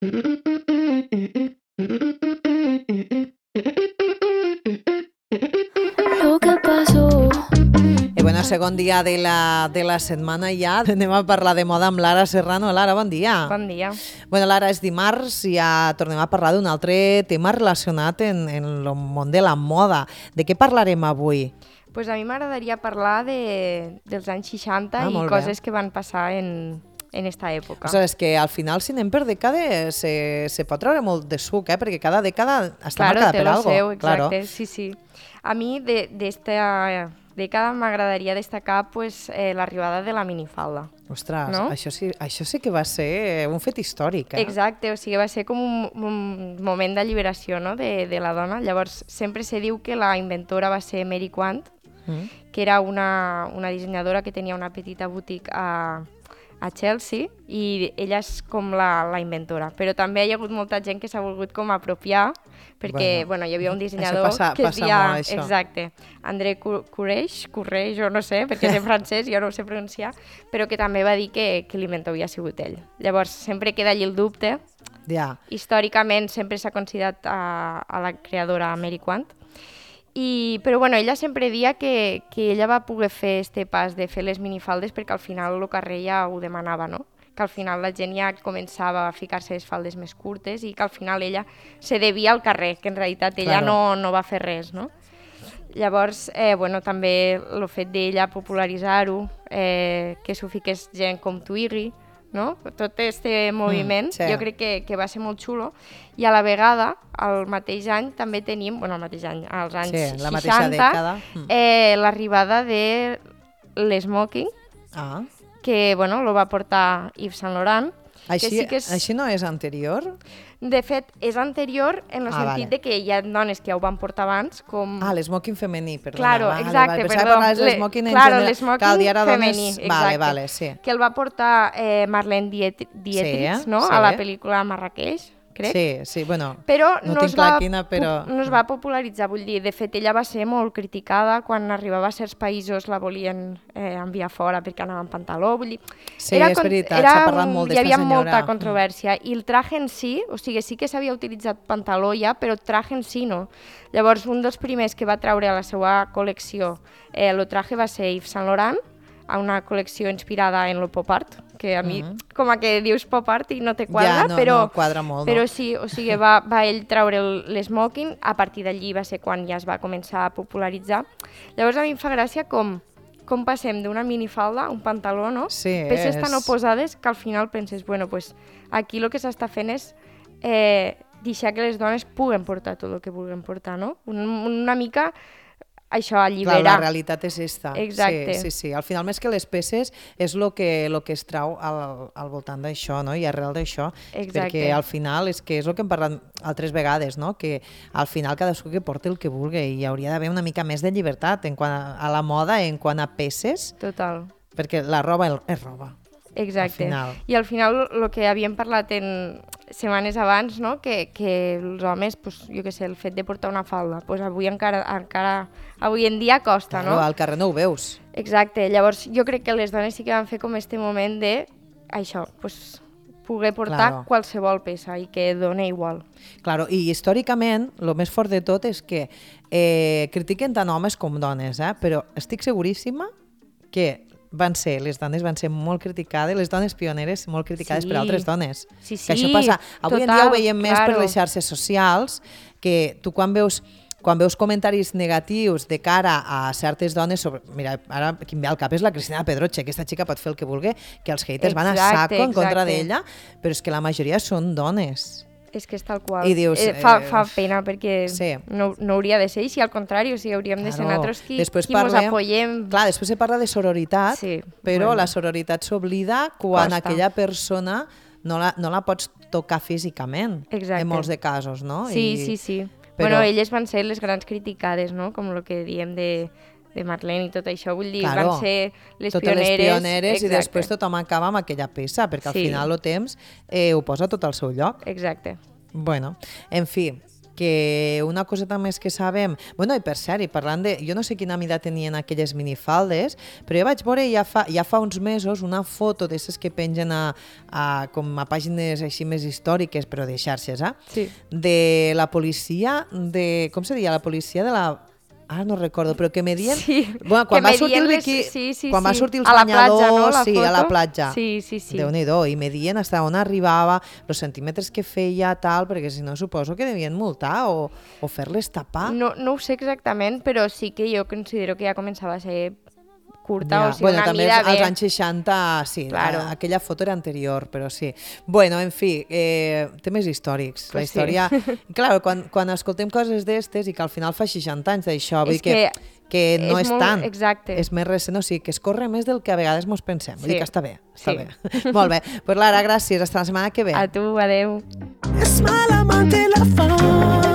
Lo que pasó. I bueno, segon dia de la setmana ja. Anem a parlar de moda amb Lara Serrano. Lara, bon dia. Bon dia. Bueno, Lara, és dimarts i ja tornem a parlar d'un altre tema relacionat en el món de la moda. De què parlarem avui? Pues a mi m'agradaria parlar dels anys 60 i molt bé. coses que van passar en esta època. O sigui, és que al final, si anem per dècades, se pot treure molt de suc, perquè cada dècada està Claro, marcada té per lo algo. seu, exacte, Claro. sí. A mi d'esta dècada m'agradaria destacar pues, l'arribada de la minifalda. Ostres, No? això sí que va ser un fet històric. Exacte, o sigui, va ser com un moment d'alliberació, no?, de la dona. Llavors, sempre se diu que la inventora va ser Mary Quant, que era una dissenyadora que tenia una petita boutique a Chelsea, i ella és com la inventora. Però també hi ha hagut molta gent que s'ha volgut com apropiar, perquè hi havia un dissenyador que es deia... molt, això. Exacte, André Courreix, o no sé, perquè és en francès, jo no ho sé pronunciar, però que també va dir que l'inventor havia sigut ell. Llavors, sempre queda allí el dubte. Ja. Històricament sempre s'ha considerat a la creadora Mary Quant, però ella sempre dia que ella va poder fer este pas de fer les minifaldes perquè al final el carrer ja ho demanava, no? Que al final la gent ja començava a ficar-se les faldes més curtes i que al final ella se devia al carrer, que en realitat ella no va fer res, no? Llavors, també el fet d'ella popularitzar-ho, que s'ho fiqués gent com Twiggy, no? Tot aquest moviment, sí. Jo crec que va ser molt xulo, i a la vegada, al mateix any, també tenim, al mateix any, als anys 60, la mateixa dècada. l'arribada de l'smoking, que lo va portar Yves Saint Laurent. Així no és anterior? De fet, és anterior en el sentit de que hi ha dones que ja ho van portar abans, com... l'esmoking femení, perdona. Claro, exacte, perdó. L'esmoking femení, exacte. Sí. Que el va portar Marlene Dietrich, no? A la pel·lícula Marrakeix, crec. Sí, bueno, però no tinc clar quina, però... No es va popularitzar, vull dir, de fet, ella va ser molt criticada quan arribava a certs països, la volien enviar fora perquè anava en pantaló, vull dir... Sí, és veritat, s'ha parlat molt d'esta senyora. Hi havia molta controvèrsia, i el traje en si, o sigui, sí que s'havia utilitzat pantaló ja, però el traje en si no. Llavors, un dels primers que va treure a la seva col·lecció el traje va ser Yves Saint Laurent, a una col·lecció inspirada en el pop art, que a mi, com a que dius pop art i no te quadra, no quadra molt, però sí, o sigui, va ell treure l'esmoking, a partir d'allí va ser quan ja es va començar a popularitzar. Llavors a mi em fa gràcia com passem d'una minifalda a un pantaló, no? Sí, peces tan oposades que al final penses, pues aquí el que s'està fent és deixar que les dones puguen portar tot el que vulguin portar, no? Una mica... això allibera. Clar, la realitat és esta. Exacte. Sí. Al final, més que les peces, és el que es trau al voltant d'això, no? I arrel d'això. Exacte. Perquè al final és el que hem parlat altres vegades, no? Que al final cadascú que porti el que vulgui i hi hauria d'haver una mica més de llibertat en quant a la moda, en quant a peces. Total. Perquè la roba és roba. Exacte. I al final el que havíem parlat en setmanes abans, no? Que els homes, jo què sé, el fet de portar una falda, avui encara avui en dia costa, no? Al carrer no ho veus. Exacte. Llavors jo crec que les dones sí que van fer com este moment de això, poder portar qualsevol peça i que dona igual. Claro, i històricament, el més fort de tot és que critiquen tant homes com dones, però estic seguríssima que les dones van ser molt criticades, les dones pioneres molt criticades per altres dones. Sí, que això passa. Avui en dia ho veiem més per les xarxes socials, que tu quan veus comentaris negatius de cara a certes dones, mira, ara qui em ve al cap és la Cristina Pedroche, aquesta xica pot fer el que vulgui, que els haters van a saco en contra d'ella, però és que la majoria són dones. És que és tal qual. I dius, fa pena perquè no hauria de ser, i si al contrari, hauríem de ser nosaltres qui mos apoyem. Clar, després se parla de sororitat, però la sororitat s'oblida quan aquella persona no la pots tocar físicament, en molts de casos, no? Sí. Bueno, elles van ser les grans criticades, no? Com el que diem de Marlene i tot això, vull dir, van ser les pioneres i després tothom acaba amb aquella peça, perquè al final el temps ho posa tot al seu lloc. Exacte. Bueno, en fi, que una coseta més que sabem... Bueno, i per cert, i parlant de... Jo no sé quina mida tenien aquelles minifaldes, però jo vaig veure ja fa uns mesos una foto d'aquestes que pengen com a pàgines així més històriques, però de xarxes, Sí. de la policia, com se deia? La policia de la... Ara no recordo, però que medien... Sí, Bueno, quan que va sortir medien quan va sortir els a la platja, no, banyadors, la sí, a la foto? platja. Sí. Déu-n'hi-do, i medien fins on arribava, els centímetres que feia, tal, perquè si no suposo que devien multar o fer-les tapar. No ho sé exactament, però sí que jo considero que ja començava a ser curta, o sigui, bueno, una també mida als bé. anys 60, sí, Claro. aquella foto era anterior, però sí. Bueno, en fi, temes històrics. Pues la història... Clar, quan escoltem coses d'estes i que al final fa 60 anys d'això, vull És dir que no és és molt- tant. exacte. És més recent, o sigui, que es corre més del que a vegades mos pensem. Vull Sí. dir que està bé. Sí. Bé. Molt bé. Pues Lara, gràcies. Hasta la setmana que ve. A tu, adeu. Es mala amante la fama.